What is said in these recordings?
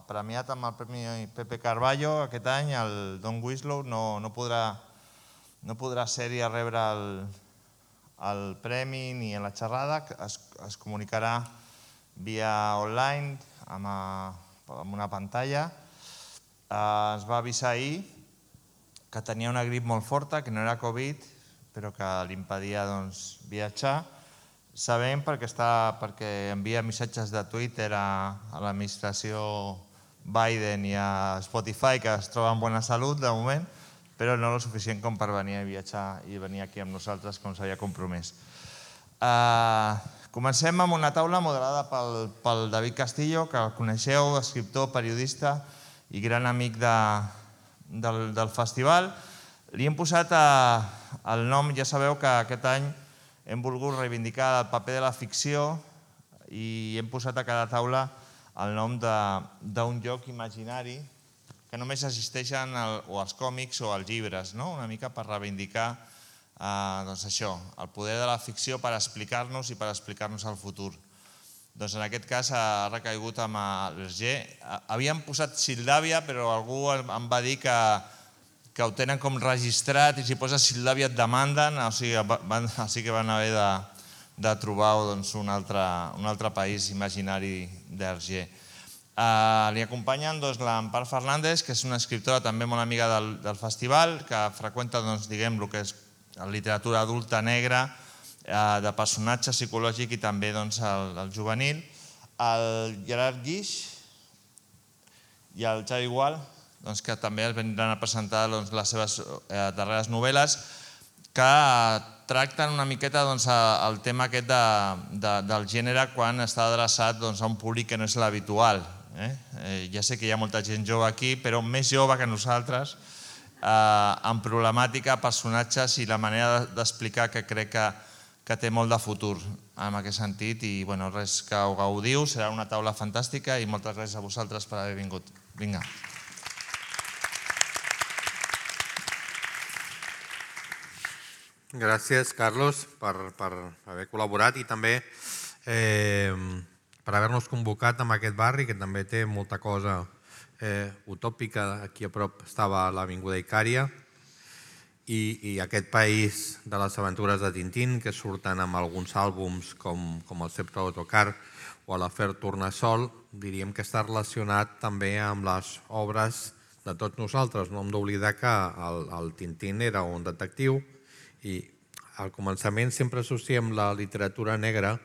premiat amb el Premi Pepe Carballo aquest any, el Don Winslow no podrà ser-hi a rebre el premi ni en la xerrada, es comunicarà via online amb una pantalla. Es va avisar ahir que tenia una grip molt forta, que no era Covid, però que li impedia viatjar. Sabem perquè envia missatges de Twitter a l'administració Biden i a Spotify, que es troba en bona salut de moment, però no el suficient com per venir a viatjar i venir aquí amb nosaltres com s'havia compromès. Comencem amb una taula moderada pel David Castillo, que el coneixeu, escriptor, periodista i gran amic del festival. Li hem posat el nom, ja sabeu que aquest any hem volgut reivindicar el paper de la ficció i hem posat a cada taula el nom d'un lloc imaginari que només existeixen o als còmics o als llibres, una mica per reivindicar això, el poder de la ficció per explicar-nos i per explicar-nos el futur. En aquest cas ha recaigut amb l'Hergé. Havíem posat Sildàvia, però algú em va dir que ho tenen com registrat i si poses Sildàvia et demanden, o sigui que van haver de trobar un altre país imaginari d'Hergé. Li acompanyen l'Empar Fernández, que és una escriptora també molt amiga del festival, que freqüenta el que és la literatura adulta negra, de personatge psicològic i també el juvenil, el Gerard Guix i el Xavi Gual, que també es vindran a presentar les seves darreres novel·les, que tracten una miqueta el tema aquest del gènere quan està adreçat a un públic que no és l'habitual. Ja sé que hi ha molta gent jove aquí, però més jove que nosaltres, amb problemàtica, personatges i la manera d'explicar que crec que té molt de futur en aquest sentit. I res, que ho gaudiu, serà una taula fantàstica i moltes gràcies a vosaltres per haver vingut. Vinga. Gràcies, Carlos, per haver col·laborat i també per haver-nos convocat en aquest barri, que també té molta cosa utòpica. Aquí a prop estava l'Avinguda Icària i aquest país de les aventures de Tintín, que surten amb alguns àlbums com el Sceptre d'Autocar o l'Afer Tornassol, diríem que està relacionat també amb les obres de tots nosaltres. No hem d'oblidar que el Tintín era un detectiu i al començament sempre associem la literatura negra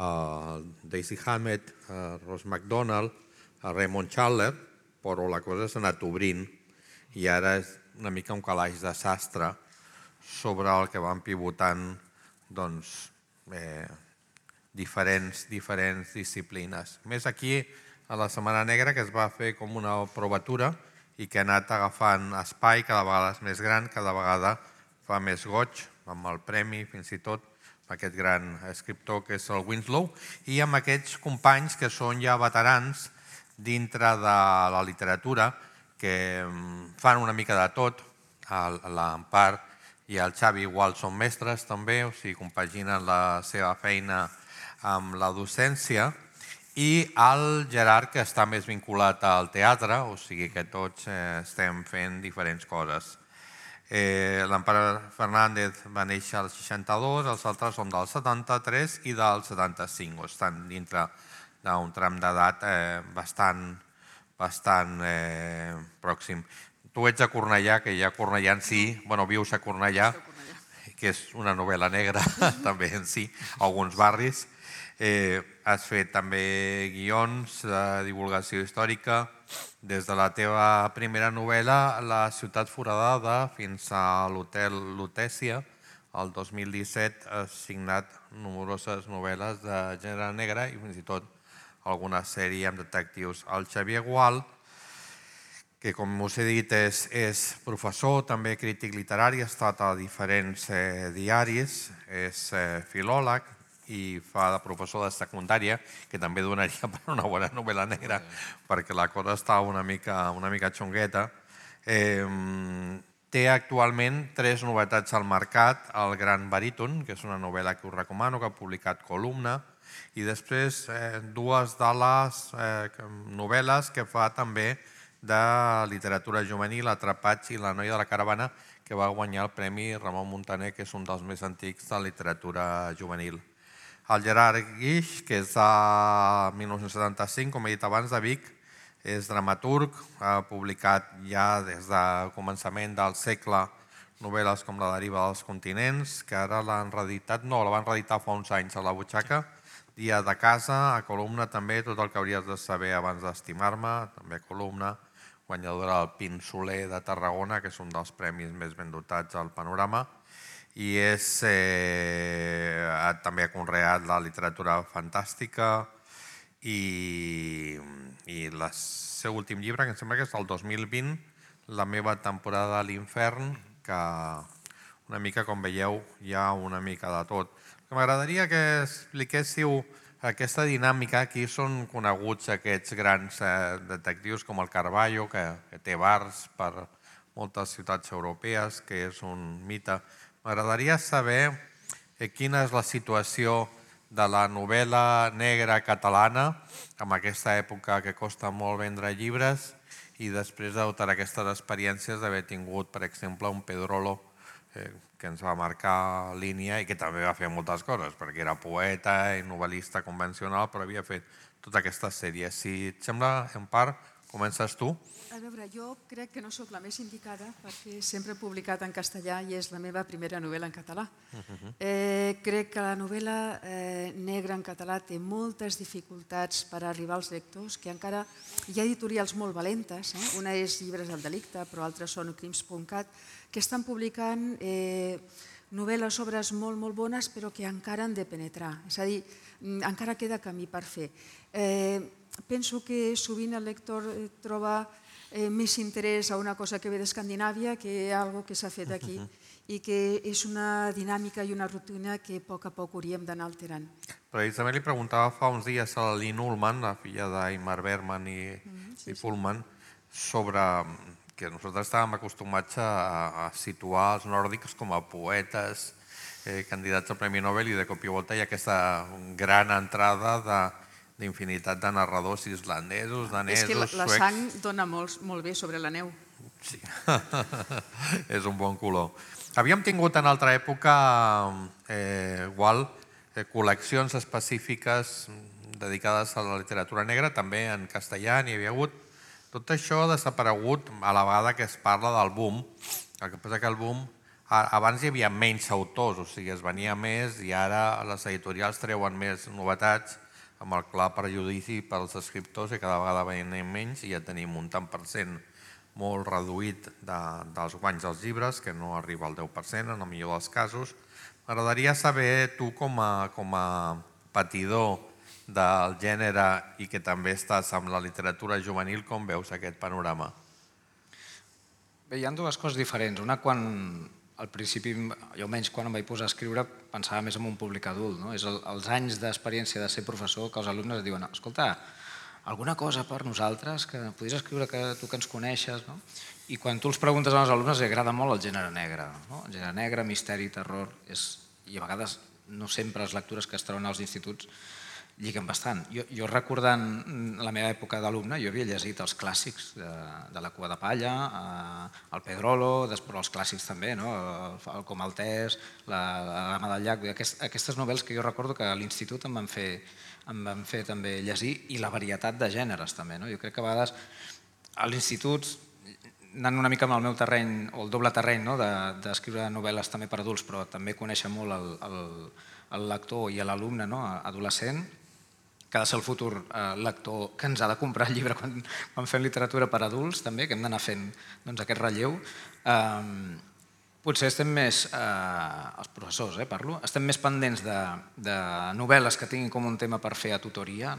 a Daisy Hammett, a Ross MacDonald, a Raymond Chandler, però la cosa s'ha anat obrint i ara és una mica un calaix de sastre sobre el que van pivotant diferents disciplines. Més aquí a la Setmana Negra, que es va fer com una provatura i que ha anat agafant espai, cada vegada és més gran, cada vegada fa més goig, amb el premi fins i tot, aquest gran escriptor que és el Winslow, i amb aquests companys que són ja veterans dintre de la literatura, que fan una mica de tot. L'Empar i el Xavi igual són mestres també, o sigui, compaginen la seva feina amb la docència, i el Gerard, que està més vinculat al teatre, o sigui que tots estem fent diferents coses. L'Empar Fernández va néixer al 62, els altres són del 73 i del 75, estan dintre d'un tram d'edat bastant pròxim. Tu ets a Cornellà, que ja Cornellà en si, vius a Cornellà, que és una novel·la negra també en si, alguns barris. Has fet també guions de divulgació històrica, des de la teva primera novel·la, La ciutat foradada, fins a l'Hotel Lutècia. El 2017 has signat nombroses novel·les de gènere negre i fins i tot alguna sèrie amb detectius. El Xavier Gual, que com us he dit és professor, també crític literari, ha estat a diferents diaris, és filòleg i fa de professor de secundària, que també donaria per una bona novel·la negra, perquè la cosa està una mica xungueta. Té actualment 3 novetats al mercat. El Gran Baríton, que és una novel·la que us recomano, que ha publicat Columna, I després dues de les novel·les que fa també de literatura juvenil, Atrapats i La noia de la caravana, que va guanyar el Premi Ramon Muntaner, que és un dels més antics de literatura juvenil. El Gerard Guix, que és de 1975, com he dit abans, de Vic, és dramaturg, ha publicat ja des del començament del segle novel·les com La deriva dels continents, que ara l'han reeditat, no, la van reeditar fa uns anys a la butxaca, Dia de casa, a columna també, Tot el que hauries de saber abans d'estimar-me, també a columna, guanyadora del Pin Soler de Tarragona, que és un dels premis més ben dotats al panorama, i també ha conreat la literatura fantàstica i el seu últim llibre, que em sembla que és del 2020, La meva temporada a l'infern, que una mica, com veieu, hi ha una mica de tot. M'agradaria que expliquéssiu aquesta dinàmica. Aquí són coneguts aquests grans detectius com el Carballo, que té bars per moltes ciutats europees, que és un mite. M'agradaria saber quina és la situació de la novel·la negra catalana en aquesta època que costa molt vendre llibres i després de totes aquestes experiències d'haver tingut, per exemple, un Pedrolo que ens va marcar línia i que també va fer moltes coses, perquè era poeta i novel·lista convencional, però havia fet tota aquesta sèrie. Si et sembla, en part, comences tu. A veure, jo crec que no sóc la més indicada perquè sempre he publicat en castellà i és la meva primera novel·la en català. Crec que la novel·la negra en català té moltes dificultats per arribar als lectors, que encara hi ha editorials molt valentes, una és Llibres del Delicte, però altres són Crims.cat, que estan publicant novel·les, obres molt, molt bones, però que encara han de penetrar. És a dir, encara queda camí per fer. Penso que sovint el lector troba més interès a una cosa que ve d'Escandinàvia que a algo que s'ha fet aquí i que és una dinàmica i una rutina que a poc hauríem d'anar alterant. Precisament li preguntava fa uns dies a la Lynn Ullman, la filla d'Aimar Bergman i Pullman, sobre que nosaltres estàvem acostumats a situar els nòrdics com a poetes, candidats al Premi Nobel, i de cop i volta hi ha aquesta gran entrada d'infinitat de narradors islandesos, danesos, suecs... És que la sang dona molt bé sobre la neu. Sí, és un bon color. Havíem tingut en altra època igual col·leccions específiques dedicades a la literatura negra, també en castellà n'hi havia hagut. Tot això ha desaparegut a la vegada que es parla del boom. El que passa que el boom, abans hi havia menys autors, o sigui, es venia més i ara les editorials treuen més novetats amb el clar perjudici pels escriptors i cada vegada venim menys i ja tenim un tant per cent molt reduït dels guanys dels llibres, que no arriba al 10% en el millor dels casos. M'agradaria saber tu com a patidor del gènere i que també estàs amb la literatura juvenil, com veus aquest panorama? Bé, hi ha dues coses diferents. Una, quan al principi, jo almenys quan em vaig posar a escriure, pensava més en un públic adult. És els anys d'experiència de ser professor que els alumnes diuen escolta, alguna cosa per nosaltres, que podries escriure tu que ens coneixes. I quan tu els preguntes als alumnes, els agrada molt el gènere negre. El gènere negre, misteri, terror, i a vegades no sempre les lectures que es troben als instituts lliguen bastant. Jo recordant la meva època d'alumne, jo havia llegit els clàssics de La cua de palla, el Pedrolo, després els clàssics també, el Comaltès, la Dama del llac, aquestes novel·les que jo recordo que a l'institut em van fer també llegir, i la varietat de gèneres també. Jo crec que a vegades a l'institut, anant una mica amb el meu terreny, o el doble terreny d'escriure novel·les també per adults, però també conèixer molt el lector i l'alumne adolescent, que ha de ser el futur lector que ens ha de comprar el llibre quan fem literatura per adults, també, que hem d'anar fent aquest relleu. Potser estem més, els professors parlo, estem més pendents de novel·les que tinguin com un tema per fer a tutoria,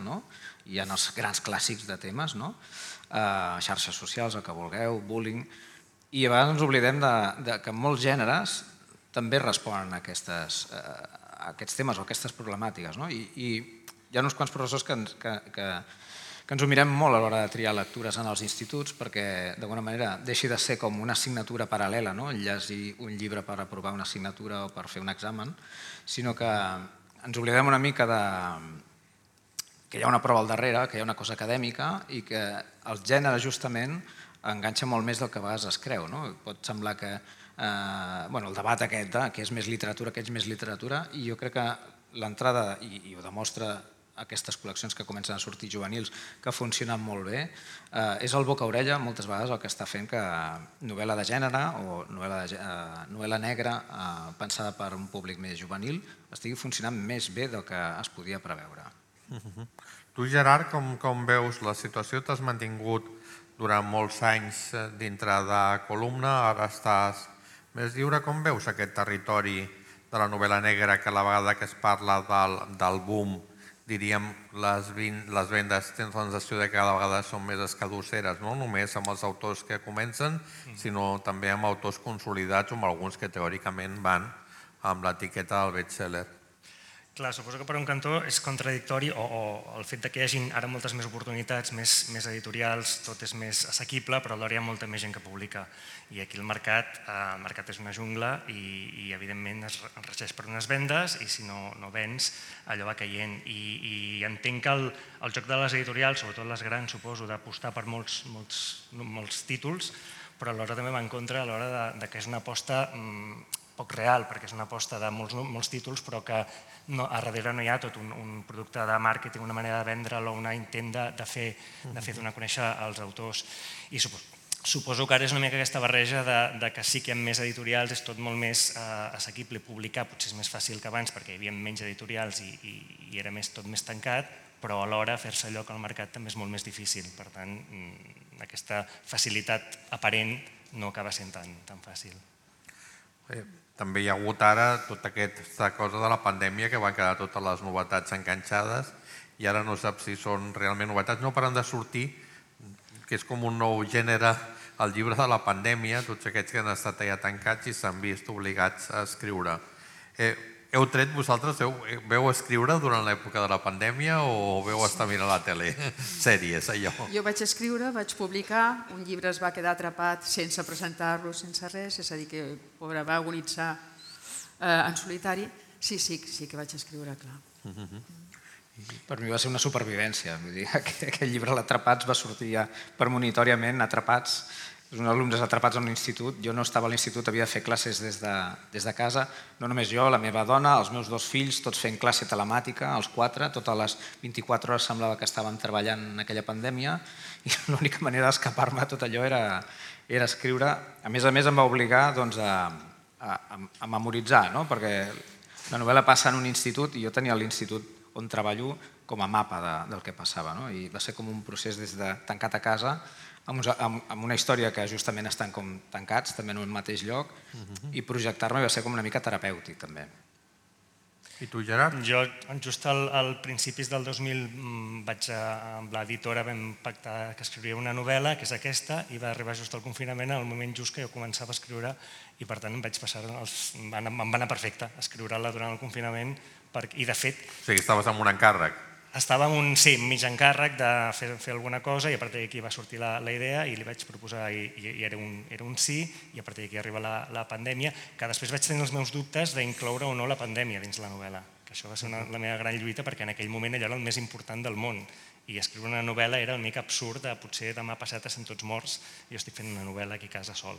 hi ha els grans clàssics de temes, xarxes socials, el que vulgueu, bullying, i a vegades ens oblidem que molts gèneres també responen a aquests temes o a aquestes problemàtiques. I hi ha uns quants professors que ens ho mirem molt a l'hora de triar lectures en els instituts perquè, d'alguna manera, deixi de ser com una assignatura paral·lela, llegir un llibre per aprovar una assignatura o per fer un examen, sinó que ens oblidem una mica hi ha una prova al darrere, que hi ha una cosa acadèmica i que el gènere justament enganxa molt més del que a vegades es creu. Pot semblar que el debat aquest, que és més literatura, que és més literatura, i jo crec que l'entrada, i ho demostra aquestes col·leccions que comencen a sortir juvenils, que funcionen molt bé, és el boca-orella moltes vegades el que està fent que novel·la de gènere o novel·la negra pensada per un públic més juvenil estigui funcionant més bé del que es podia preveure. Tu, Gerard, com veus la situació? T'has mantingut durant molts anys dintre de Columna, ara estàs més lliure. Com veus aquest territori de la novel·la negra, que a la vegada que es parla del boom, diríem, les vendes tens la sensació que cada vegada són més escadusseres, no només amb els autors que comencen, sinó també amb autors consolidats o amb alguns que teòricament van amb l'etiqueta del bestseller? Clar, suposo que per un cantó és contradictori o el fet que hi hagi ara moltes més oportunitats, més editorials, tot és més assequible, però alhora hi ha molta més gent que publica. I aquí el mercat és una jungla i evidentment es regeix per unes vendes i si no vens allò va caient. I entenc que el joc de les editorials, sobretot les grans, suposo, d'apostar per molts títols, però alhora també va en contra a l'hora que és una aposta poc real, perquè és una aposta de molts títols, però que a darrere no hi ha tot un producte de màrqueting, una manera de vendre'l o un intent de fer donar a conèixer els autors. I suposo que ara és una mica aquesta barreja de que sí que hi ha més editorials, és tot molt més assequible publicar, potser és més fàcil que abans perquè hi havia menys editorials i era tot més tancat, però alhora fer-se lloc al mercat també és molt més difícil. Per tant, aquesta facilitat aparent no acaba sent tan fàcil. També hi ha hagut ara tota aquesta cosa de la pandèmia que van quedar totes les novetats enganxades i ara no saps si són realment novetats. No paren de sortir, que és com un nou gènere, el llibre de la pandèmia, tots aquests que han estat allà tancats i s'han vist obligats a escriure. Heu tret vosaltres, veu escriure durant l'època de la pandèmia o veu estar mirant la tele, sèries, allò? Jo vaig escriure, vaig publicar, un llibre es va quedar atrapat sense presentar-lo, sense res, és a dir, que pobre va agonitzar en solitari. Sí que vaig escriure, clar. Per mi va ser una supervivència, vull dir, aquell llibre l'Atrapats va sortir ja premonitòriament, Atrapats, uns alumnes atrapats en un institut. Jo no estava a l'institut, havia de fer classes des de casa, no només jo, la meva dona, els meus 2 fills, tots fent classe telemàtica, els 4, totes les 24 hores semblava que estàvem treballant en aquella pandèmia i l'única manera d'escapar-me a tot allò era escriure. A més em va obligar a memoritzar, perquè la novel·la passa en un institut i jo tenia l'institut on treballo com a mapa del que passava, i va ser com un procés des de tancat a casa amb una història que justament estan com tancats, també en un mateix lloc, i projectar-me va ser com una mica terapèutic, també. I tu, Gerard? Jo, just al principis del 2000, amb l'editora vam pactar que escriuria una novel·la, que és aquesta, i va arribar just al confinament, en el moment just que jo començava a escriure, i per tant em va anar perfecte escriure-la durant el confinament, i de fet... O sigui, estaves amb un encàrrec. Estava amb un mig encàrrec de fer alguna cosa i a partir d'aquí va sortir la idea i li vaig proposar i era un sí, i a partir d'aquí arriba la pandèmia, que després vaig tenir els meus dubtes d'incloure o no la pandèmia dins la novel·la, que això va ser la meva gran lluita perquè en aquell moment allò era el més important del món i escriure una novel·la era una mica absurd de potser demà passat estem tots morts i jo estic fent una novel·la aquí a casa sol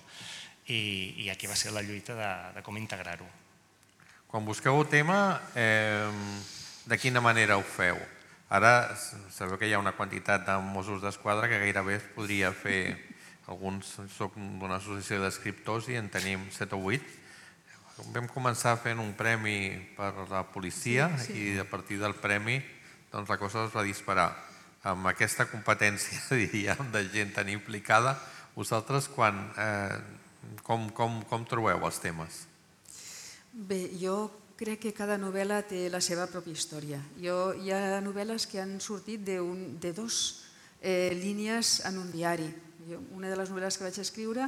i aquí va ser la lluita de com integrar-ho. Quan busqueu el tema, de quina manera ho feu? Ara sabeu que hi ha una quantitat de Mossos d'Esquadra que gairebé es podria fer, alguns soc d'una associació d'escriptors i en tenim 7 o 8. Vam començar fent un premi per la policia i a partir del premi la cosa es va disparar. Amb aquesta competència, diríem, de gent tan implicada, vosaltres com trobeu els temes? Bé, jo crec que cada novel·la té la seva pròpia història. Hi ha novel·les que han sortit de 2 línies en un diari. Una de les novel·les que vaig escriure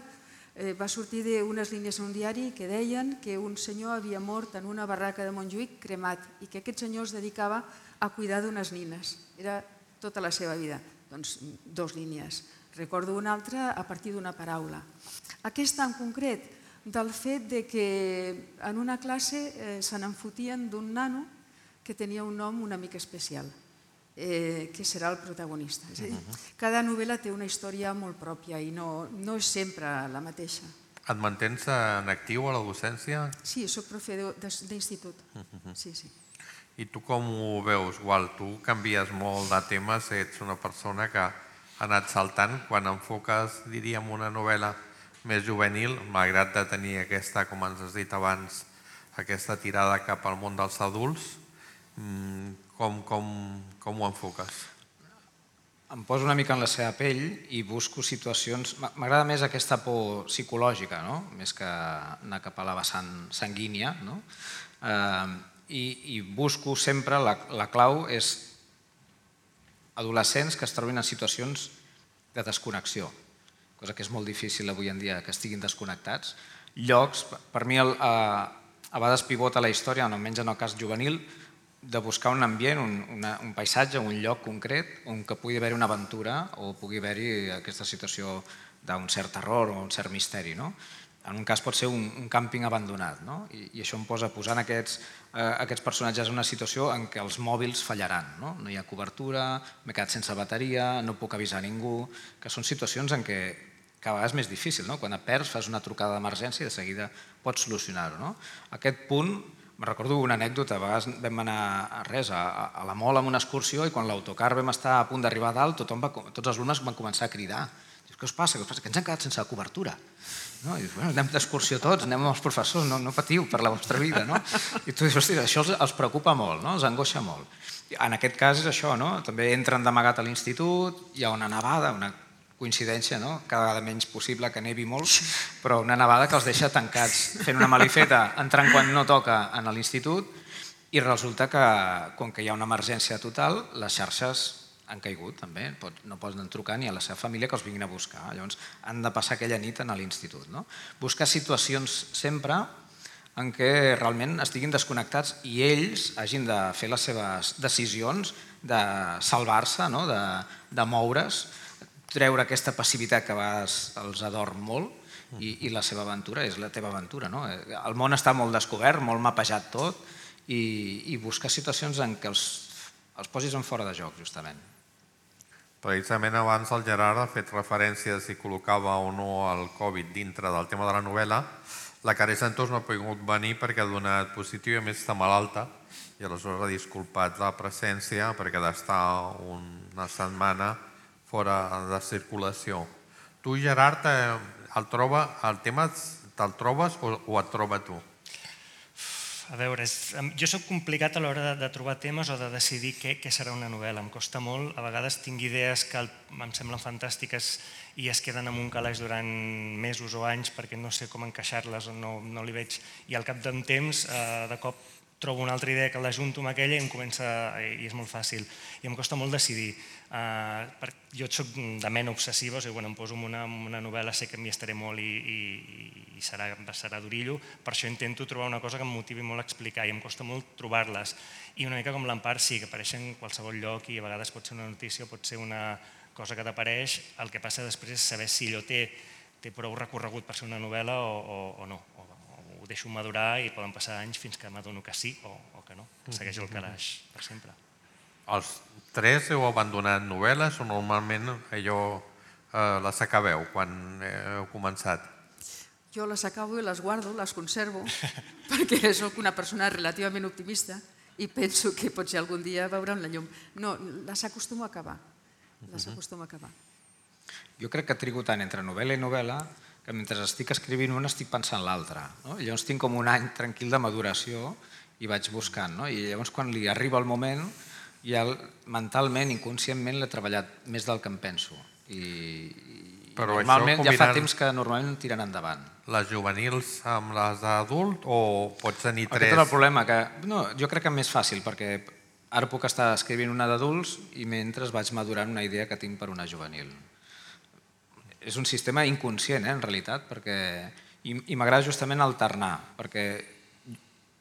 va sortir d'unes línies en un diari que deien que un senyor havia mort en una barraca de Montjuïc cremat i que aquest senyor es dedicava a cuidar d'unes nines. Era tota la seva vida. Doncs 2 línies. Recordo una altra a partir d'una paraula. Aquesta en concret, del fet que en una classe se n'enfotien d'un nano que tenia un nom una mica especial. que serà el protagonista. És a dir, cada novel·la té una història molt pròpia i no és sempre la mateixa. Et mantens en actiu a la docència? Sí, soc profe d'institut. Sí, sí. I tu com ho veus, Gual? Tu canvies molt de temes, ets una persona que ha anat saltant. Quan enfoques, diríem, una novel·la més juvenil, malgrat de tenir aquesta, com ens has dit abans, aquesta tirada cap al món dels adults, com ho enfoques? Em poso una mica en la seva pell i busco situacions... M'agrada més aquesta por psicològica, més que anar cap a la vessant sanguínia. I busco sempre, la clau és adolescents que es trobin en situacions de desconnexió, cosa que és molt difícil avui en dia que estiguin desconnectats. Llocs, per mi a vegades pivota la història, almenys en el cas juvenil, de buscar un ambient, un paisatge, un lloc concret on que pugui haver-hi una aventura o pugui haver-hi aquesta situació d'un cert terror o un cert misteri. En un cas pot ser un càmping abandonat, i això em posa posant aquests personatges en una situació en què els mòbils fallaran. No hi ha cobertura, m'he quedat sense bateria, no puc avisar ningú, que són situacions en què cada vegada és més difícil. Quan et perds, fas una trucada d'emergència i de seguida pots solucionar-ho. Aquest punt, me'n recordo una anècdota, a vegades vam anar a la Mol amb una excursió i quan l'autocar vam estar a punt d'arribar a dalt, tots els alumnes van començar a cridar. Què us passa? Que ens han quedat sense cobertura. I dius, anem d'excursió tots, anem amb els professors, no patiu per la vostra vida. I tu dius, hòstia, això els preocupa molt, els angoixa molt. En aquest cas és això, també entren d'amagat a l'institut, hi ha una nevada, una coincidència, cada vegada menys possible que nevi molt, però una nevada que els deixa tancats fent una malifeta, entrant quan no toca a l'institut, i resulta que, com que hi ha una emergència total, les xarxes han caigut també, no poden trucar ni a la seva família que els vinguin a buscar, llavors han de passar aquella nit a l'institut. Buscar situacions sempre en què realment estiguin desconnectats i ells hagin de fer les seves decisions de salvar-se, de moure's, treure aquesta passivitat que a vegades els adorm molt i la seva aventura és la teva aventura. El món està molt descobert, molt mapejat tot i buscar situacions en què els posis en fora de joc, justament. Precisament abans el Gerard ha fet referència a si col·locava o no el Covid dintre del tema de la novel·la. La Carey Santos no ha pogut venir perquè ha donat positiu i a més està malalta i aleshores ha disculpat la presència perquè ha d'estar una setmana fora de circulació. Tu, Gerard, el tema te'l trobes o et troba tu? A veure, jo soc complicat a l'hora de trobar temes o de decidir què serà una novel·la. Em costa molt. A vegades tinc idees que em semblen fantàstiques i es queden en un calaix durant mesos o anys perquè no sé com encaixar-les o no li veig. I al cap d'un temps, de cop, trobo una altra idea que l'ajunto amb aquella i és molt fàcil. I em costa molt decidir. Jo soc de ment obsessiva, o sigui, quan em poso en una novel·la sé que m'hi estaré molt i serà d'orillo, per això intento trobar una cosa que em motivi molt a explicar i em costa molt trobar-les. I una mica com l'Empar, sí, que apareixen en qualsevol lloc i a vegades pot ser una notícia o pot ser una cosa que t'apareix, el que passa després és saber si allò té prou recorregut per ser una novel·la o no. Ho deixo madurar i poden passar anys fins que m'adono que sí o que no, que segueix el calaix per sempre. Els tres heu abandonat novel·les o normalment allò les acabeu quan heu començat? Jo les acabo i les guardo, les conservo, perquè sóc una persona relativament optimista i penso que potser algun dia veuran la llum. No, les acostumo a acabar. Jo crec que trigo tant entre novel·la i novel·la que mentre estic escrivint una estic pensant l'altra. Llavors tinc com un any tranquil de maduració i vaig buscant. I llavors quan li arriba el moment ja mentalment, inconscientment l'he treballat més del que em penso. I normalment ja fa temps que normalment tiren endavant. Les juvenils amb les d'adult o pots tenir tres? Aquest és el problema. Jo crec que és més fàcil perquè ara puc estar escrivint una d'adults i mentre vaig madurant una idea que tinc per una juvenil. És un sistema inconscient, en realitat, i m'agrada justament alternar, perquè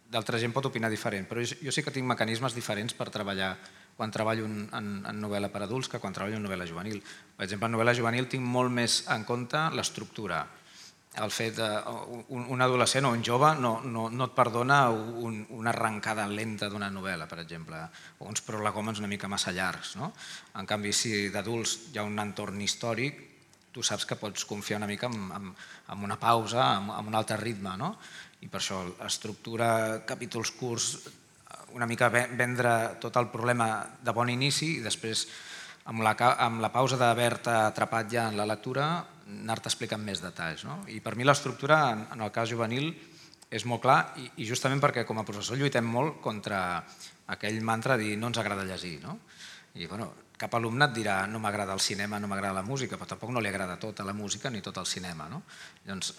d'altra gent pot opinar diferent, però jo sí que tinc mecanismes diferents per treballar quan treballo en novel·la per adults que quan treballo en novel·la juvenil. Per exemple, en novel·la juvenil tinc molt més en compte l'estructura. el fet un adolescent o un jove no et perdona una arrencada lenta d'una novel·la, per exemple, o uns prolegòmens una mica massa llargs. En canvi, si d'adults hi ha un entorn històric, tu saps que pots confiar una mica en una pausa, en un altre ritme. I per això estructura capítols curts, una mica vendre tot el problema de bon inici i després, amb la pausa d'haver-te atrapat ja en la lectura, anar-te explicant més detalls. I per mi l'estructura, en el cas juvenil, és molt clar i justament perquè com a professor lluitem molt contra aquell mantra de dir no ens agrada llegir. I cap alumne et dirà no m'agrada el cinema, no m'agrada la música, però tampoc no li agrada tota la música ni tot el cinema. Llavors,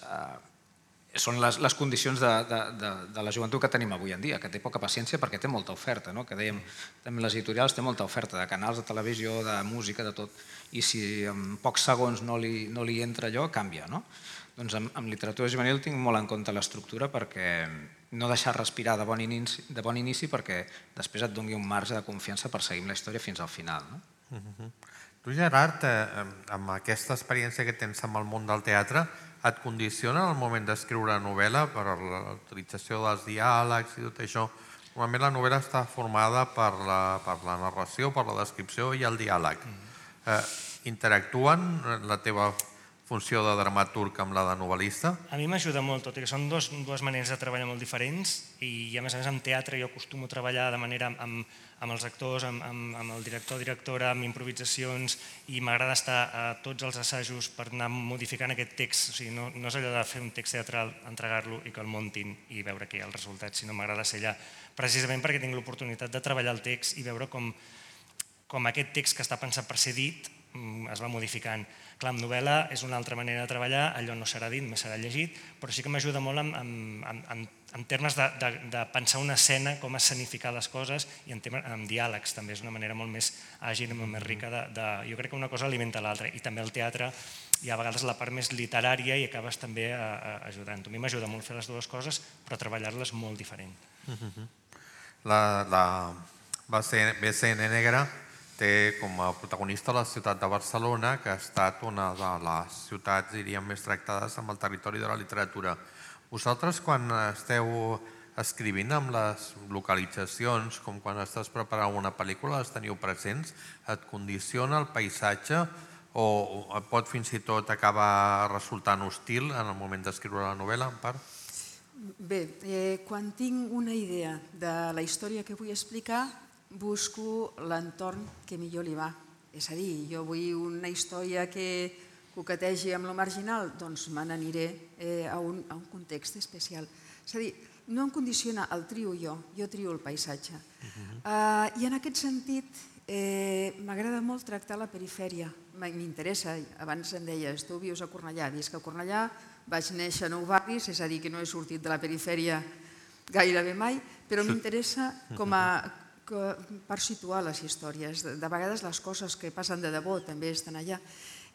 són les condicions de la joventut que tenim avui en dia, que té poca paciència perquè té molta oferta, que dèiem, també les editorials té molta oferta de canals de televisió, de música, de tot, i si en pocs segons no li entra allò, canvia. Doncs amb literatura juvenil tinc molt en compte l'estructura perquè no deixar respirar de bon inici perquè després et doni un marge de confiança per seguir la història fins al final. Tu, Gerard, amb aquesta experiència que tens amb el món del teatre, et condiciona el moment d'escriure novel·la per l'utilització dels diàlegs i tot això? Normalment la novel·la està formada per la narració, per la descripció i el diàleg. Interactuen la teva funció de dramaturg amb la de novel·lista? A mi m'ajuda molt, tot i que són dues maneres de treballar molt diferents i a més amb teatre jo acostumo a treballar de manera amb els actors, amb el director o directora, amb improvisacions i m'agrada estar a tots els assajos per anar modificant aquest text, o sigui, no és allò de fer un text teatral, entregar-lo i que el muntin i veure què hi ha el resultat, sinó m'agrada ser allà precisament perquè tinc l'oportunitat de treballar el text i veure com aquest text que està pensat per ser dit es va modificant. Clar, amb novel·la és una altra manera de treballar, allò no serà dit, només serà llegit, però sí que m'ajuda molt en termes de pensar una escena, com escenificar les coses i en diàlegs també és una manera molt més àgil i molt més rica. Jo crec que una cosa alimenta l'altra i també el teatre hi ha a vegades la part més literària i acabes també ajudant. A mi m'ajuda molt fer les dues coses però treballar-les molt diferent. La BCN Negra té com a protagonista la ciutat de Barcelona, que ha estat una de les ciutats, diríem, més tractades amb el territori de la literatura. Vosaltres, quan esteu escrivint amb les localitzacions, com quan estàs preparant una pel·lícula, les teniu presents? Et condiciona el paisatge o pot fins i tot acabar resultant hostil en el moment d'escriure la novel·la, en part? Bé, quan tinc una idea de la història que vull explicar, busco l'entorn que millor li va. És a dir, jo vull una història que coquetegi amb lo marginal, doncs me n'aniré a un context especial. És a dir, no em condiciona el trio jo trio el paisatge. I en aquest sentit m'agrada molt tractar la perifèria. M'interessa, abans em deies, tu vius a Cornellà, visc a Cornellà, vaig néixer a Nou Barris, és a dir, que no he sortit de la perifèria gairebé mai, però m'interessa per situar les històries. De vegades les coses que passen de debò també estan allà.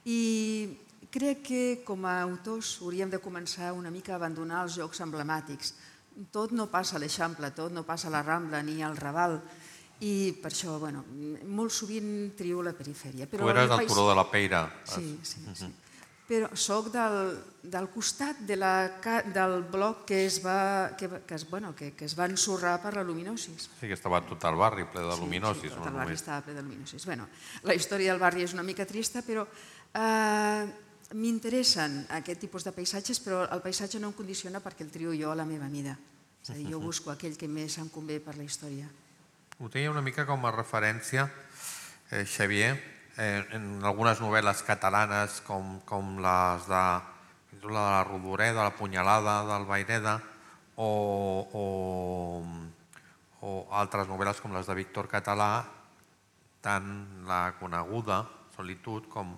I crec que com a autors hauríem de començar una mica a abandonar els jocs emblemàtics. Tot no passa a l'Eixample, tot no passa a la Rambla ni al Raval. I per això, molt sovint trio la perifèria. Tu eres del Turó de la Peira. Sí. Però soc del costat del bloc que es va ensorrar per la luminosis. Sí, que estava tot el barri ple de luminosis. Sí, tot el barri estava ple de luminosis. La història del barri és una mica trista, però m'interessen aquest tipus de paisatges, però el paisatge no em condiciona perquè el trio jo a la meva mida. És a dir, jo busco aquell que més em convé per la història. Ho tenia una mica com a referència, Xavier, en algunes novel·les catalanes com les de la Rodoreda, de la Punyalada, del Vayreda o altres novel·les com les de Víctor Català, tant la coneguda Solitud com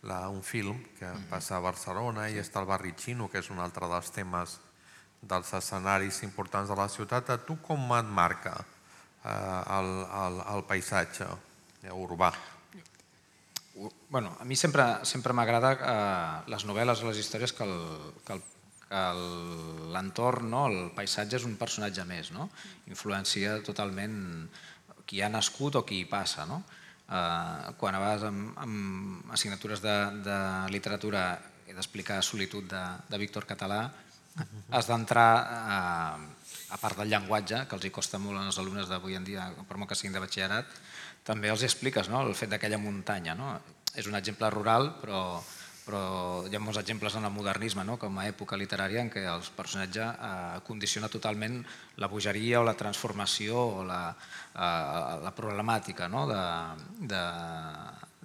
un film que passa a Barcelona i està al barri xino, que és un altre dels temes dels escenaris importants de la ciutat. A tu com et marca el paisatge urbà? A mi sempre m'agrada les novel·les o les històries que l'entorn, el paisatge és un personatge més, influencia totalment qui ha nascut o qui hi passa. Quan a vegades amb assignatures de literatura he d'explicar Solitud de Víctor Català, has d'entrar, a part del llenguatge, que els hi costa molt als alumnes d'avui en dia, per molt que siguin de batxillerat, també els expliques el fet d'aquella muntanya. És un exemple rural, però hi ha molts exemples en el modernisme, com a època literària en què el personatge condiciona totalment la bogeria o la transformació o la problemàtica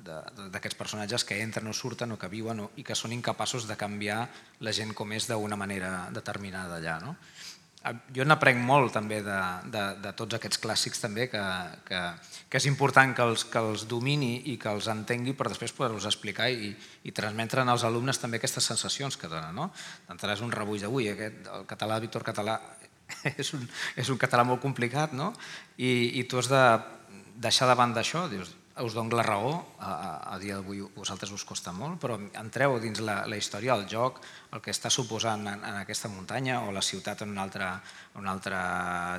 d'aquests personatges que entren o surten o que viuen i que són incapaços de canviar la gent com és d'una manera determinada allà. Jo n'aprenc molt també de tots aquests clàssics també, que és important que els domini i que els entengui per després poder-los explicar i transmetre als alumnes també aquestes sensacions que donen. D'entrada és un rebuig d'avui, el català de Víctor Català és un català molt complicat i tu has de deixar de banda això, dius, us dono la raó, a dia d'avui a vosaltres us costa molt, però entreu dins la història, el joc, el que està suposant en aquesta muntanya o la ciutat en un altre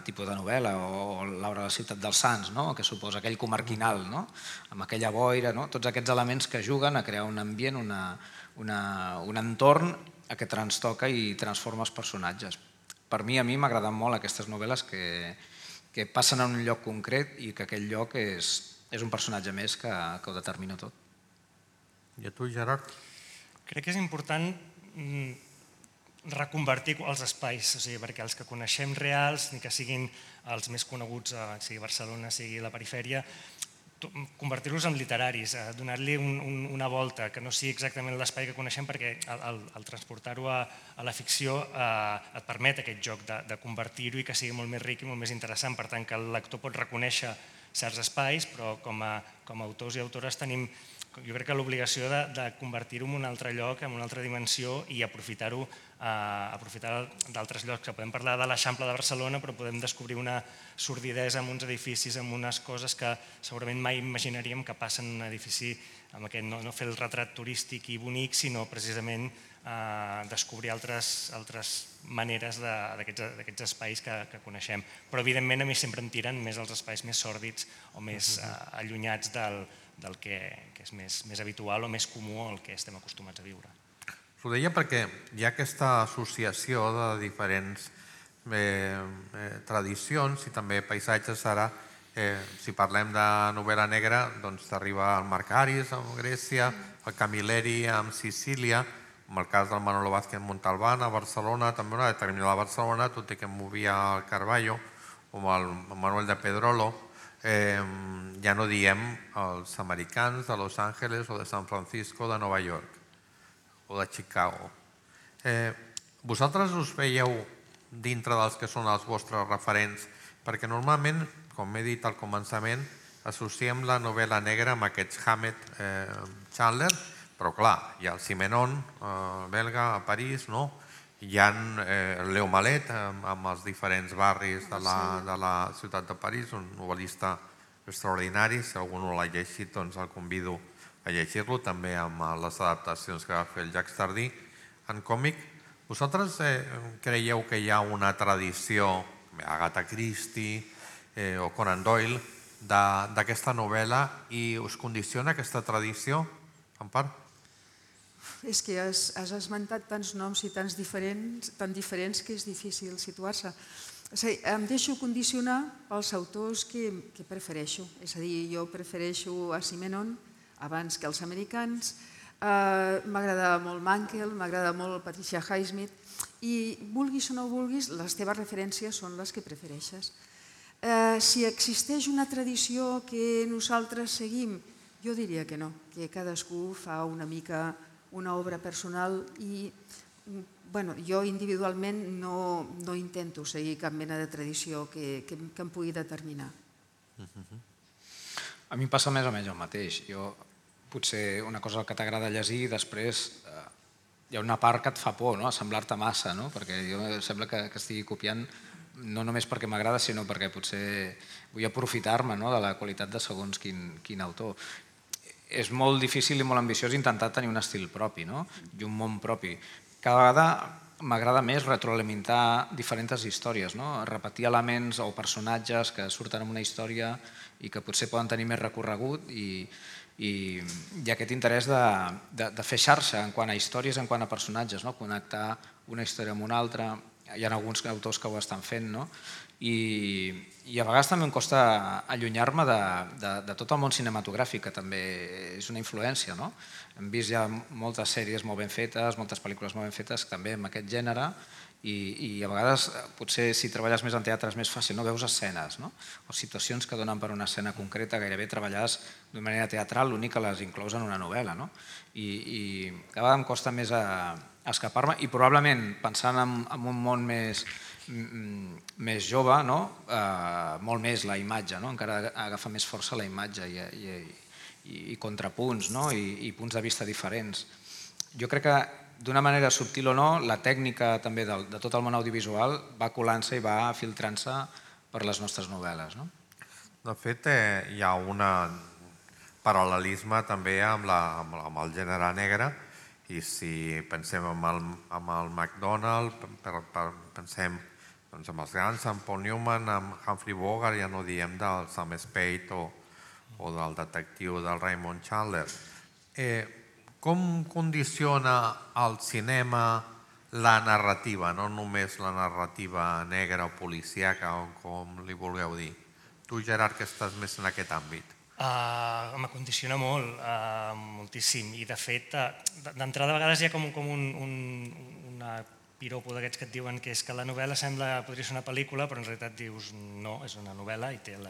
tipus de novel·la, o l'obra de la ciutat dels Sants, que suposa aquell comarquinal, amb aquella boira, tots aquests elements que juguen a crear un ambient, un entorn que transtoca i transforma els personatges. Per mi, a mi m'agraden molt aquestes novel·les que passen en un lloc concret i que aquell lloc és un personatge més que ho determina tot. I a tu, Gerard? Crec que és important reconvertir els espais, perquè els que coneixem reals, ni que siguin els més coneguts, sigui Barcelona, sigui la perifèria, convertir-los en literaris, donar-li una volta, que no sigui exactament l'espai que coneixem, perquè al transportar-ho a la ficció et permet aquest joc de convertir-ho i que sigui molt més ric i molt més interessant. Per tant, que el lector pot reconèixer certs espais, però com a autors i autores tenim, jo crec que l'obligació de convertir-ho en un altre lloc, en una altra dimensió i aprofitar d'altres llocs. Podem parlar de l'Eixample de Barcelona, però podem descobrir una sordidesa en uns edificis, en unes coses que segurament mai imaginaríem que passen en un edifici, amb aquest no fer el retrat turístic i bonic, sinó precisament descobrir altres maneres d'aquests espais que coneixem. Però evidentment a mi sempre em tiren més els espais més sòrdids o més allunyats del que és més habitual o més comú al que estem acostumats a viure. Ho deia perquè hi ha aquesta associació de diferents tradicions i també paisatges. Ara, si parlem de novel·la negra, doncs t'arriba el Marcaris a Grècia, el Camilleri a Sicília, en el cas del Manolo Vázquez Montalbán a Barcelona, també una determinada a Barcelona, tot i que em movia al Carballo, o el Manuel de Pedrolo. Ja no diem els americans de Los Angeles o de San Francisco, de Nova York o de Chicago. Vosaltres us veieu dintre dels que són els vostres referents, perquè normalment, com he dit al començament, associem la novel·la negra amb aquests Hammett Chandler, però clar, hi ha el Simenon, belga, a París, hi ha el Leo Malet amb els diferents barris de la ciutat de París, un novel·lista extraordinari. Si algú no l'ha llegit, doncs el convido a llegir-lo, també amb les adaptacions que va fer el Jacques Tardy en còmic. Vosaltres creieu que hi ha una tradició, Agatha Christie o Conan Doyle, d'aquesta novel·la i us condiciona aquesta tradició, en part? És que has esmentat tants noms i tan diferents que és difícil situar-se. Em deixo condicionar pels autors que prefereixo. És a dir, jo prefereixo a Simenon abans que els americans. M'agrada molt Mankell, m'agrada molt Patricia Highsmith i vulguis o no vulguis, les teves referències són les que prefereixes. Si existeix una tradició que nosaltres seguim, jo diria que no, que cadascú fa una mica una obra personal i jo individualment no intento seguir cap mena de tradició que em pugui determinar. A mi em passa més o menys el mateix. Potser una cosa que t'agrada llegir i després hi ha una part que et fa por, semblar-te massa, perquè jo sembla que estigui copiant no només perquè m'agrada, sinó perquè potser vull aprofitar-me de la qualitat de segons quin autor. És molt difícil i molt ambiciós intentar tenir un estil propi i un món propi. Cada vegada m'agrada més retroalimentar diferents històries, repetir elements o personatges que surten en una història i que potser poden tenir més recorregut i i aquest interès de fer xarxa en quant a històries, en quant a personatges, connectar una història amb una altra. Hi ha alguns autors que ho estan fent, i a vegades també em costa allunyar-me de tot el món cinematogràfic, que també és una influència. Hem vist ja moltes sèries molt ben fetes, moltes pel·lícules molt ben fetes també en aquest gènere, i a vegades potser si treballes més en teatre és més fàcil, veus escenes o situacions que donen per una escena concreta gairebé treballades d'una manera teatral, l'únic que les inclous en una novel·la, i cada vegada em costa més escapar-me, i probablement pensant en un món més jove, molt més la imatge, encara agafa més força la imatge i contrapunts i punts de vista diferents. Jo crec que d'una manera subtil o no, la tècnica també de tot el món audiovisual va colant-se i va filtrant-se per les nostres novel·les. De fet, hi ha un paral·lelisme també amb el gènere negre, i si pensem en el McDonald, pensem en els grans, en Paul Newman, en Humphrey Bogart, ja no diem del Sam Spade o del detectiu del Raymond Chandler. Com condiciona el cinema la narrativa, no només la narrativa negra o policíaca, o com li vulgueu dir? Tu, Gerard, que estàs més en aquest àmbit. Me condiciona molt, moltíssim, i de fet, d'entrada a vegades hi ha com una piropo d'aquests que et diuen que és que la novel·la podria ser una pel·lícula, però en realitat dius no, és una novel·la i té el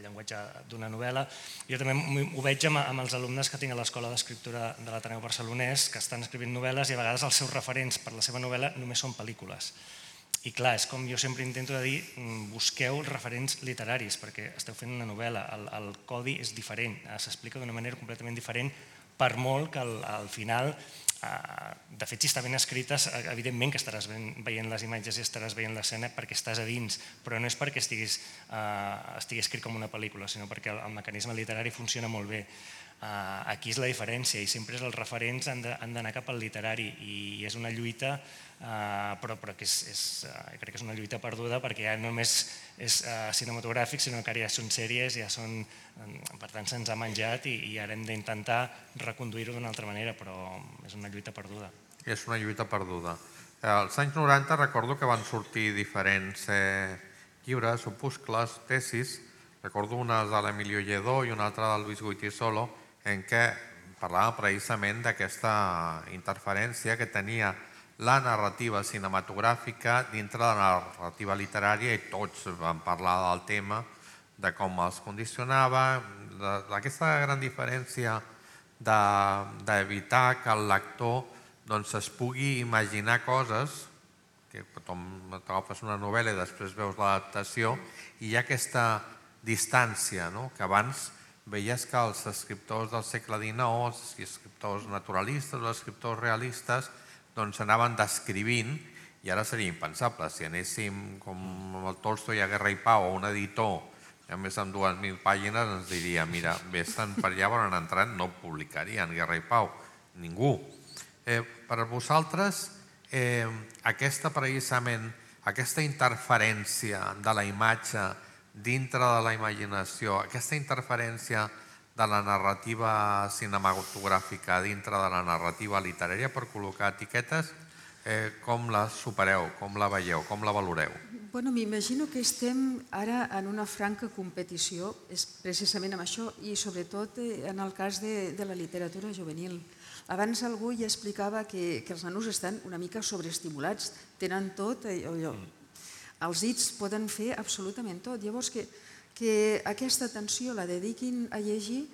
llenguatge d'una novel·la. Jo també ho veig amb els alumnes que tinc a l'Escola d'Escriptura de l'Ateneu Barcelonès, que estan escrivint novel·les i a vegades els seus referents per la seva novel·la només són pel·lícules. I clar, és com jo sempre intento dir, busqueu referents literaris, perquè esteu fent una novel·la, el codi és diferent, s'explica d'una manera completament diferent, per molt que al final, de fet, si està ben escrites, evidentment que estaràs veient les imatges i estaràs veient l'escena perquè estàs a dins, però no és perquè estigui escrit com una pel·lícula, sinó perquè el mecanisme literari funciona molt bé. Aquí és la diferència, i sempre els referents han d'anar cap al literari, i és una lluita, però crec que és una lluita perduda, perquè ja no només és cinematogràfic, sinó que ara ja són sèries, per tant se'ns ha menjat, i ara hem d'intentar reconduir-ho d'una altra manera, però és una lluita perduda. És una lluita perduda. Als anys 90 recordo que van sortir diferents llibres, opuscles, tesis. Recordo una de l'Emilio Lledó i una altra del Luis Goytisolo, en què parlava precisament d'aquesta interferència que tenia la narrativa cinematogràfica dintre de la narrativa literària, i tots van parlar del tema, de com els condicionava, d'aquesta gran diferència d'evitar que el lector es pugui imaginar coses, que t'agafes una novel·la i després veus l'adaptació, i hi ha aquesta distància, que abans veies que els escriptors del segle XIX, els escriptors naturalistes, els escriptors realistes, anaven descrivint, i ara seria impensable. Si anéssim com el Tolstoi a Guerra i Pau, o un editor, a més amb 2.000 pàgines, ens diria, mira, vés-te'n per allà, on han entrat, no publicarien Guerra i Pau, ningú. Per vosaltres, aquesta interferència de la imatge dintre de la imaginació, aquesta interferència de la narrativa cinematogràfica dintre de la narrativa literària, per col·locar etiquetes, com la supereu, com la veieu, com la valoreu? M'imagino que estem ara en una franca competició precisament amb això, i sobretot en el cas de la literatura juvenil. Abans algú ja explicava que els nanos estan una mica sobreestimulats, tenen tot, els dits poden fer absolutament tot. Llavors que aquesta atenció la dediquin a llegir,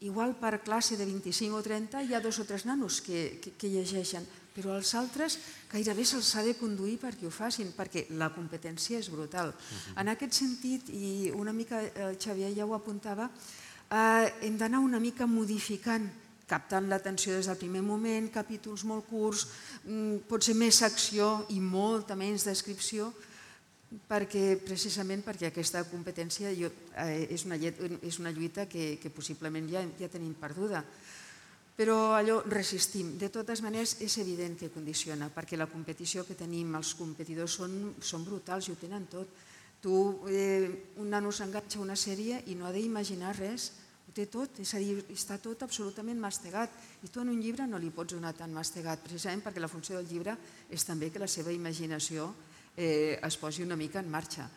igual per classe de 25 o 30 hi ha 2 o 3 nanos que llegeixen, però els altres gairebé se'ls ha de conduir perquè ho facin, perquè la competència és brutal. En aquest sentit, i una mica el Xavier ja ho apuntava, hem d'anar una mica modificant, captant l'atenció des del primer moment, capítols molt curts, potser més acció i molta menys descripció, precisament perquè aquesta competència és una lluita que possiblement ja tenim perduda. Però allò resistim. De totes maneres, és evident que condiciona, perquè la competició que tenim, els competidors són brutals i ho tenen tot. Un nano s'enganxa a una sèrie i no ha d'imaginar res, ho té tot, és a dir, està tot absolutament mastegat i tu en un llibre no li pots donar tan mastegat, precisament perquè la funció del llibre és també que la seva imaginació es posi una mica en marxa.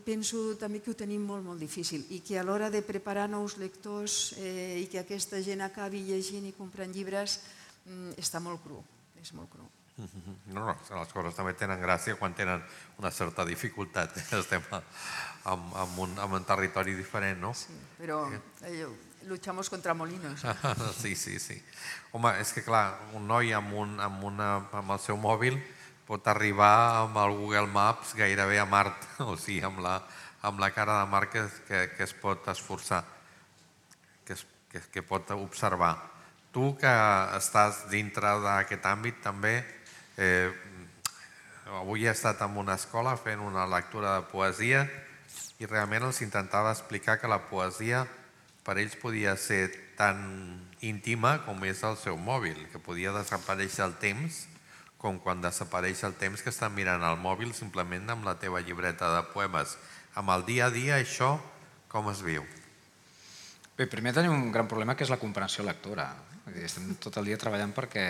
Penso també que ho tenim molt, molt difícil i que a l'hora de preparar nous lectors i que aquesta gent acabi llegint i comprant llibres està molt cru, és molt cru. No, les coses també tenen gràcia quan tenen una certa dificultat. Estem en un territori diferent, no? Sí, però luchamos contra molinos. Sí. Home, és que clar, un noi amb el seu mòbil pot arribar amb el Google Maps gairebé a Mart, o sigui, amb la cara de Mart que es pot esforçar, que pot observar. Tu que estàs dintre d'aquest àmbit també, avui he estat en una escola fent una lectura de poesia i realment els intentava explicar que la poesia per ells podia ser tan íntima com és el seu mòbil, que podia desaparèixer el temps com quan desapareix el temps que estan mirant el mòbil simplement amb la teva llibreta de poemes. Amb el dia a dia això com es viu? Bé, primer tenim un gran problema que és la comprensió lectora. Estem tot el dia treballant perquè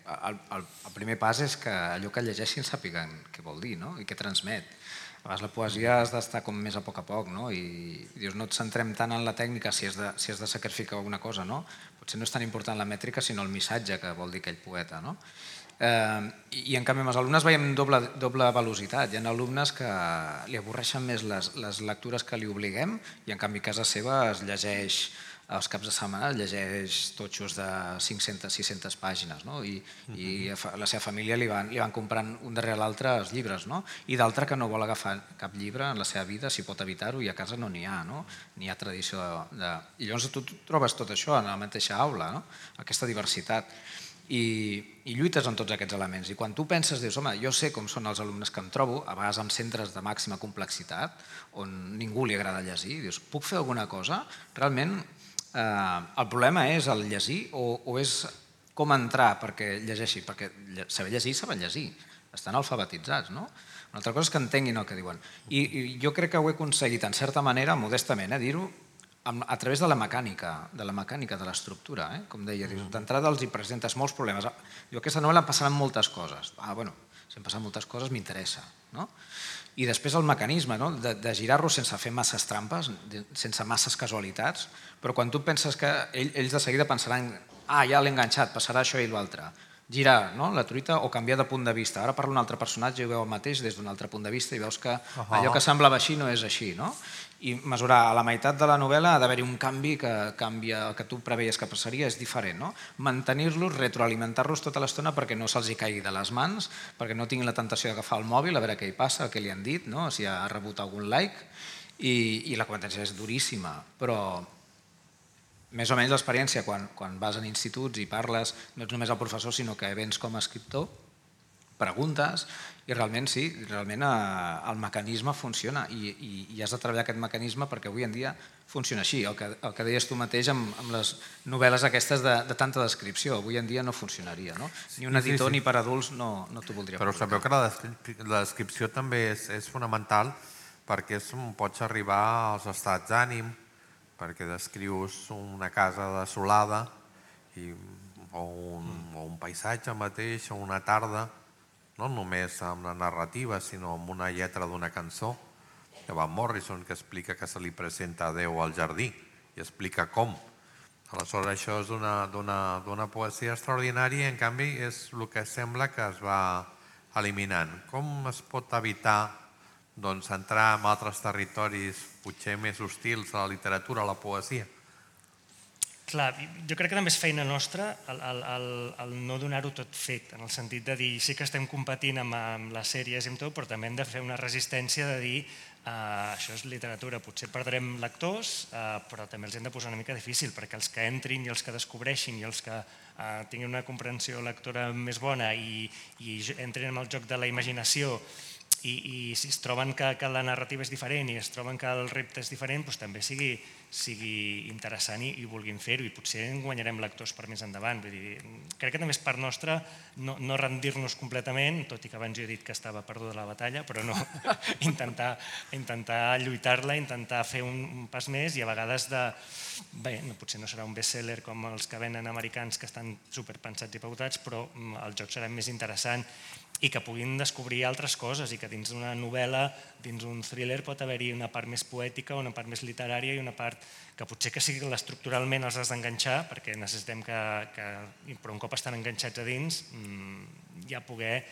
el primer pas és que allò que llegeixin sàpiguen què vol dir i què transmet. A vegades la poesia has d'estar com més a poc, i dius, no et centrem tant en la tècnica si has de sacrificar alguna cosa, no? Potser no és tan important la mètrica sinó el missatge que vol dir aquell poeta, no? I en canvi amb els alumnes veiem doble velocitat. Hi ha alumnes que li avorreixen més les lectures que li obliguem i en canvi a casa seva es llegeix els caps de setmana, llegeix totxos de 500-600 pàgines i a la seva família li van comprant un darrere l'altre els llibres i d'altre que no vol agafar cap llibre en la seva vida si pot evitar-ho i a casa no n'hi ha, ni hi ha tradició de... I llavors tu trobes tot això en la mateixa aula, aquesta diversitat. I lluites en tots aquests elements. I quan tu penses, dius, home, jo sé com són els alumnes que em trobo, a vegades en centres de màxima complexitat, on ningú li agrada llegir, dius, puc fer alguna cosa? Realment, el problema és el llegir o és com entrar perquè llegeixi? Perquè saber llegir, saben llegir. Estan alfabetitzats, no? Una altra cosa és que entenguin el que diuen. I jo crec que ho he aconseguit, en certa manera, modestament, dir-ho, a través de la mecànica de l'estructura, com deia, d'entrada els hi presentes molts problemes. Jo aquesta novel·la em passaran moltes coses. Si em passen moltes coses m'interessa. I després el mecanisme de girar-lo sense fer masses trampes, sense masses casualitats, però quan tu penses que ells de seguida pensaran ja l'he enganxat, passarà això i l'altre. Girar la truita o canviar de punt de vista. Ara parla un altre personatge i veu el mateix des d'un altre punt de vista i veus que allò que semblava així no és així. I mesurar a la meitat de la novel·la ha d'haver-hi un canvi que canvia el que tu preveies que passaria, és diferent. Mantenir-los, retroalimentar-los tota l'estona perquè no se'ls caigui de les mans, perquè no tinguin la tentació d'agafar el mòbil, a veure què hi passa, què li han dit, si ha rebut algun like. I la competència és duríssima, però més o menys l'experiència quan vas en instituts i parles, no ets només el professor, sinó que vens com a escriptor, preguntes, i realment sí, realment el mecanisme funciona i has de treballar aquest mecanisme perquè avui en dia funciona així. El que deies tu mateix amb les novel·les aquestes de tanta descripció, avui en dia no funcionaria. Ni un editor ni per adults no t'ho voldria publicar. Però sabeu que la descripció també és fonamental perquè pots arribar als estats d'ànim, perquè descrius una casa desolada o un paisatge mateix o una tarda, no només amb la narrativa, sinó amb una lletra d'una cançó de Van Morrison que explica que se li presenta a Déu al jardí i explica com. Aleshores això és d'una poesia extraordinària i en canvi és el que sembla que es va eliminant. Com es pot evitar entrar en altres territoris potser més hostils a la literatura, a la poesia? Clar, jo crec que també és feina nostra el no donar-ho tot fet, en el sentit de dir sí que estem competint amb les sèries i amb tot, però també hem de fer una resistència de dir això és literatura, potser perdrem lectors, però també els hem de posar una mica difícil, perquè els que entrin i els que descobreixin i els que tinguin una comprensió lectora més bona i entrin en el joc de la imaginació i si es troben que la narrativa és diferent i es troben que el repte és diferent, doncs també sigui sigui interessant i vulguin fer-ho, i potser en guanyarem lectors per més endavant. Vull dir, crec que també és part nostra no rendir-nos completament, tot i que abans jo he dit que estava perduda la batalla, però no, intentar lluitar-la, intentar fer un pas més, i a vegades potser no serà un best-seller com els que venen americans que estan superpensats i pautats, però el joc serà més interessant i que puguin descobrir altres coses, i que dins d'una novel·la, dins d'un thriller, pot haver-hi una part més poètica, una part més literària i una part que potser que sigui estructuralment els has d'enganxar, perquè necessitem però un cop estan enganxats a dins, ja poder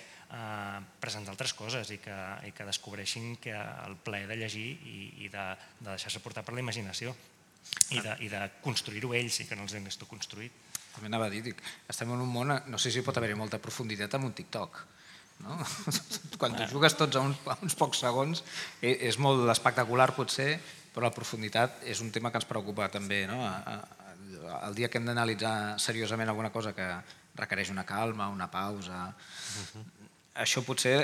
presentar altres coses i que descobreixin que el plaer de llegir i de deixar-se portar per la imaginació i de construir-ho ells i que no els hagués tu construït. També anava a dir, estem en un món, no sé si pot haver-hi molta profunditat amb un TikTok. Quan tu jugues tots a uns pocs segons és molt espectacular potser, però la profunditat és un tema que ens preocupa també. El dia que hem d'analitzar seriosament alguna cosa que requereix una calma, una pausa, això potser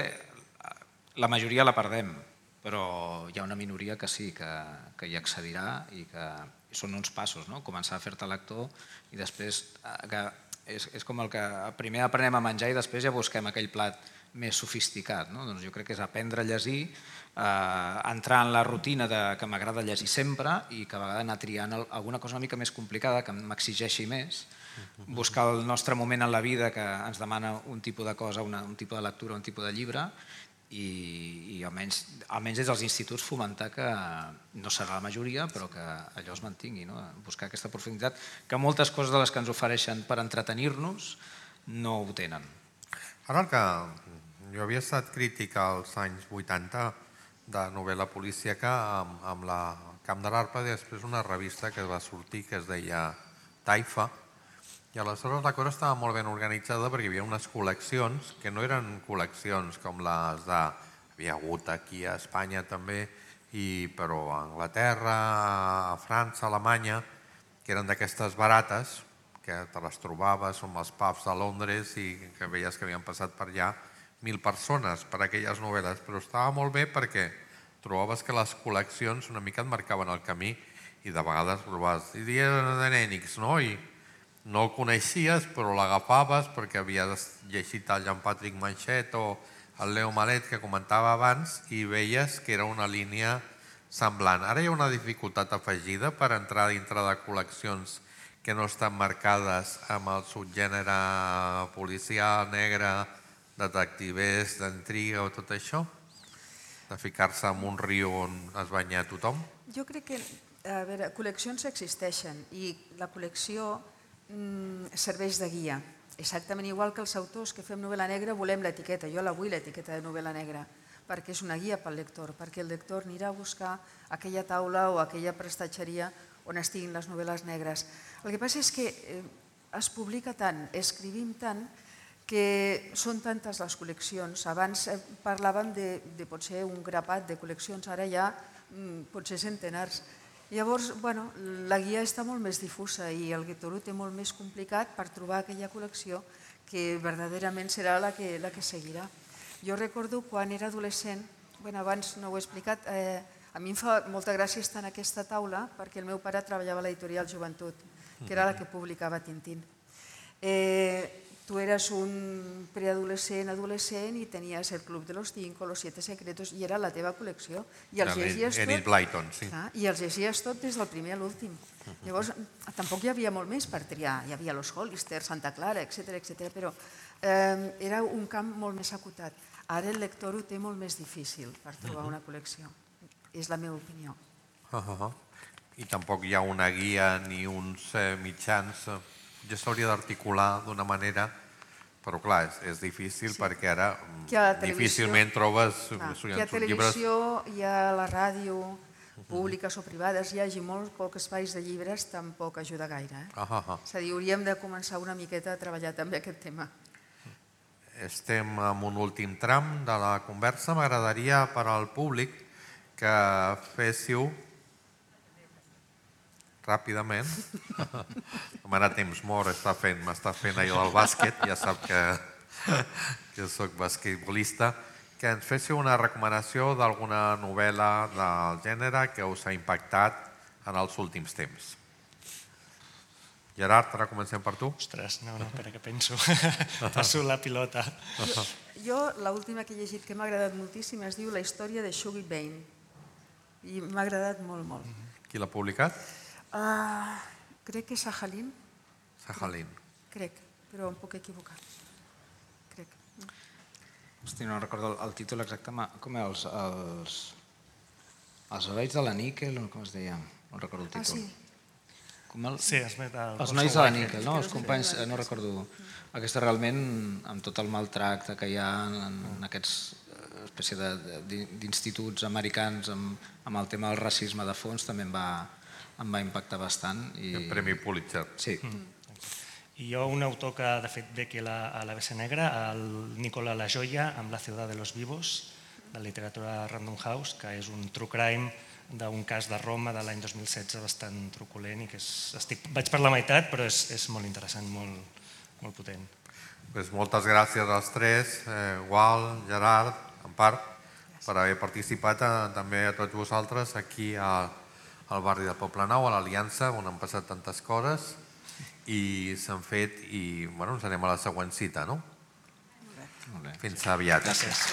la majoria la perdem, però hi ha una minoria que sí, que hi accedirà i que són uns passos, començar a fer-te lector i després és com el que primer aprenem a menjar i després ja busquem aquell plat més sofisticat. Doncs jo crec que és aprendre a llegir, entrar en la rutina que m'agrada llegir sempre i que a vegades anar triant alguna cosa una mica més complicada, que m'exigeixi més, buscar el nostre moment en la vida que ens demana un tipus de cosa, un tipus de lectura, un tipus de llibre, i almenys des dels instituts fomentar que no serà la majoria, però que allò es mantingui, buscar aquesta profunditat, que moltes coses de les que ens ofereixen per entretenir-nos no ho tenen. Ara el que jo havia estat crític als anys 80 de novel·la policíaca amb la Camp de l'Arpa i després una revista que va sortir que es deia Taifa, i aleshores la cosa estava molt ben organitzada perquè hi havia unes col·leccions que no eren col·leccions com les de... Havia hagut aquí a Espanya també, però a Anglaterra, a França, a Alemanya, que eren d'aquestes barates, que te les trobaves amb els pubs de Londres i que veies que havien passat per allà 1.000 persones per aquelles novel·les, però estava molt bé perquè trobaves que les col·leccions una mica et marcaven el camí i de vegades provaves, i dia de nènics, no? I no el coneixies, però l'agafaves perquè havies llegit el Jean-Patrick Manchet o el Leo Malet que comentava abans i veies que era una línia semblant. Ara hi ha una dificultat afegida per entrar dintre de col·leccions que no estan marcades amb el subgènere policial, negre, detectivers, d'intriga o tot això? De ficar-se en un riu on es banya tothom? Jo crec que, a veure, col·leccions existeixen i la col·lecció serveix de guia. Exactament igual que els autors que fem novel·la negra volem l'etiqueta. Jo la vull, l'etiqueta de novel·la negra, perquè és una guia pel lector, perquè el lector anirà a buscar aquella taula o aquella prestatgeria on estiguin les novel·les negres. El que passa és que es publica tant, escrivim tant, que són tantes les col·leccions. Abans parlàvem de potser un grapat de col·leccions, ara hi ha potser centenars. Llavors, la guia està molt més difusa i el lector ho té molt més complicat per trobar aquella col·lecció que verdaderament serà la que seguirà. Jo recordo quan era adolescent, abans no ho he explicat, a mi em fa molta gràcia estar en aquesta taula perquè el meu pare treballava a l'editorial Joventut, que era la que publicava Tintín. Tu eres un preadolescent, adolescent i tenies el Club de los 5, los 7 secretos i era la teva col·lecció. I els llegies Enid Blyton, sí. I els llegies tot des del primer a l'últim. Llavors, tampoc hi havia molt més per triar. Hi havia los Hollister, Santa Clara, etc. però era un camp molt més acotat. Ara el lector ho té molt més difícil per trobar una col·lecció. És la meva opinió. I tampoc hi ha una guia ni uns mitjans. Ja s'hauria d'articular d'una manera, però clar, és difícil perquè ara difícilment trobes llibres. Hi ha televisió, hi ha la ràdio, públiques o privades, hi hagi molt pocs espais de llibres, tampoc ajuda gaire. És a dir, hauríem de començar una miqueta a treballar també aquest tema. Estem en un últim tram de la conversa. M'agradaria per al públic que féssiu ràpidament. Com ara temps mort m'està fent allò del bàsquet, ja sap que jo soc basquetbolista, que ens féssiu una recomanació d'alguna novel·la del gènere que us ha impactat en els últims temps. Gerard, ara comencem per tu. Ostres, no, espera que penso. Passo la pilota. Jo, l'última que he llegit que m'ha agradat moltíssim es diu La història de Shuggy Bain. I m'ha agradat molt, molt. Qui l'ha publicat? Crec que és Sajalin. Sajalin. Crec, però em puc equivocar. Crec. Hosti, no recordo el títol exacte. Com és? Els herois de la níquel, o com es deia? No recordo el títol. Sí. Sí, els nois de la níquel, no? Els companys, no recordo. Aquesta realment, amb tot el maltracte que hi ha en aquests espècie d'instituts americans amb el tema del racisme de fons, també em va impactar bastant. El Premi Pulitzer. Sí. I jo, un autor que de fet ve aquí a l'ABC Negra, el Nicola La Joya, amb La ciudad de los vivos, de literatura Random House, que és un true crime d'un cas de Roma de l'any 2016 bastant truculent i que vaig per la meitat, però és molt interessant, molt potent. Moltes gràcies als tres, Gual, Gerard, Empar, per haver participat, també a tots vosaltres aquí al barri del Poblenou, a l'Aliança, on han passat tantes coses i s'han fet i ens anem a la següent cita, no? Fins aviat. Gràcies.